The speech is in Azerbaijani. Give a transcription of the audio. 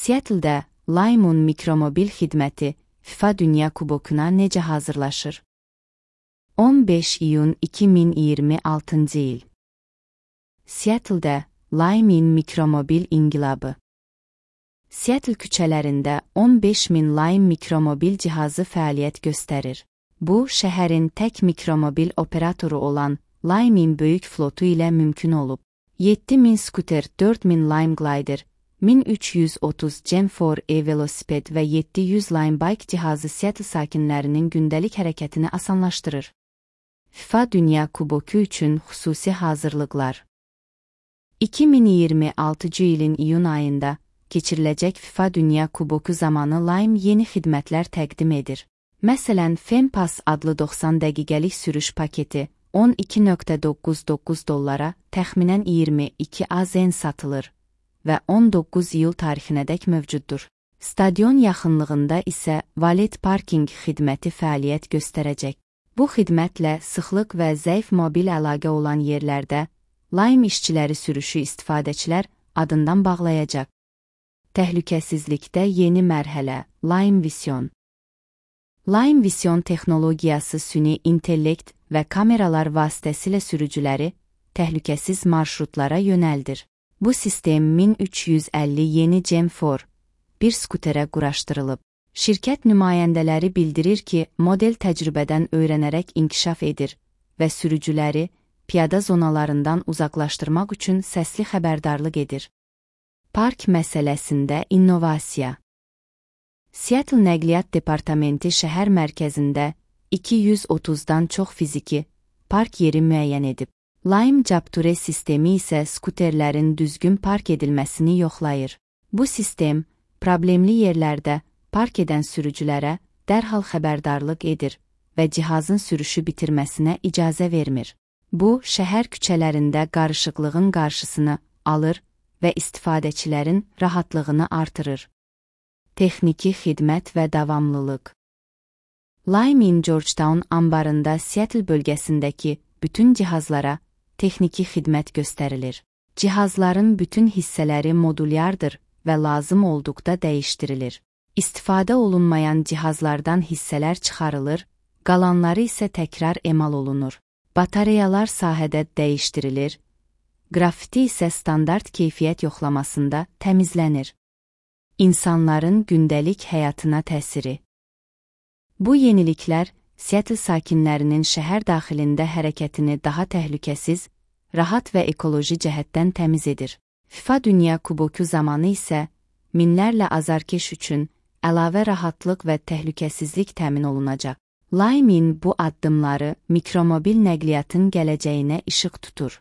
Seattle-də Lime'un mikromobil xidməti FIFA Dünya Kubokuna necə hazırlaşır? 15 iyun 2026-cı il. Seattle-də Lime'in mikromobil inqilabı. Seattle küçələrində 15.000 Lime mikromobil cihazı fəaliyyət göstərir. Bu, şəhərin tək mikromobil operatoru olan Lime'in böyük flotu ilə mümkün olub. 7.000 skuter, 4.000 Lime Glider, 1330 Gen4 e-velosiped və 700 Lime Bike cihazı Seattle sakinlərinin gündəlik hərəkətini asanlaşdırır. FIFA Dünya Kuboku üçün xüsusi hazırlıqlar. 2026-cı ilin iyun ayında keçiriləcək FIFA Dünya Kuboku zamanı Lime yeni xidmətlər təqdim edir. Məsələn, FemPass adlı 90 dəqiqəlik sürüş paketi $12.99 təxminən 22 AZN satılır və 19 iyul tarixinədək mövcuddur. Stadion yaxınlığında isə valet parking xidməti fəaliyyət göstərəcək. Bu xidmətlə sıxlıq və zəif mobil əlaqə olan yerlərdə Lime işçiləri sürüşü istifadəçilər adından bağlayacaq. Təhlükəsizlikdə yeni mərhələ Lime Vision. Lime Vision texnologiyası süni intellekt və kameralar vasitəsilə sürücüləri təhlükəsiz marşrutlara yönəldir. Bu sistem 1350 yeni Gen4 bir skuterə quraşdırılıb. Şirkət nümayəndələri bildirir ki, model təcrübədən öyrənərək inkişaf edir və sürücüləri piyada zonalarından uzaqlaşdırmaq üçün səsli xəbərdarlıq edir. Park məsələsində innovasiya. Seattle Nəqliyyat Departamenti şəhər mərkəzində 230-dan çox fiziki park yeri müəyyən edib. Lime Capture sistemi isə skuterlərin düzgün park edilməsini yoxlayır. Bu sistem, problemli yerlərdə park edən sürücülərə dərhal xəbərdarlıq edir və cihazın sürüşü bitirməsinə icazə vermir. Bu, şəhər küçələrində qarışıqlığın qarşısını alır və istifadəçilərin rahatlığını artırır. Texniki xidmət və davamlılıq. Lime'in Georgetown ambarında Seattle bölgəsindəki bütün cihazlara texniki xidmət göstərilir. Cihazların bütün hissələri modulyardır və lazım olduqda dəyişdirilir. İstifadə olunmayan cihazlardan hissələr çıxarılır, qalanları isə təkrar emal olunur. Batareyalar sahədə dəyişdirilir, qrafiti isə standart keyfiyyət yoxlamasında təmizlənir. İnsanların gündəlik həyatına təsiri. Bu yeniliklər Seattle sakinlərinin şəhər daxilində hərəkətini daha təhlükəsiz, rahat və ekoloji cəhətdən təmiz edir. FIFA Dünya Kuboku zamanı isə minlərlə azarkeş üçün əlavə rahatlıq və təhlükəsizlik təmin olunacaq. Lime'in bu addımları mikromobil nəqliyyatın gələcəyinə işıq tutur.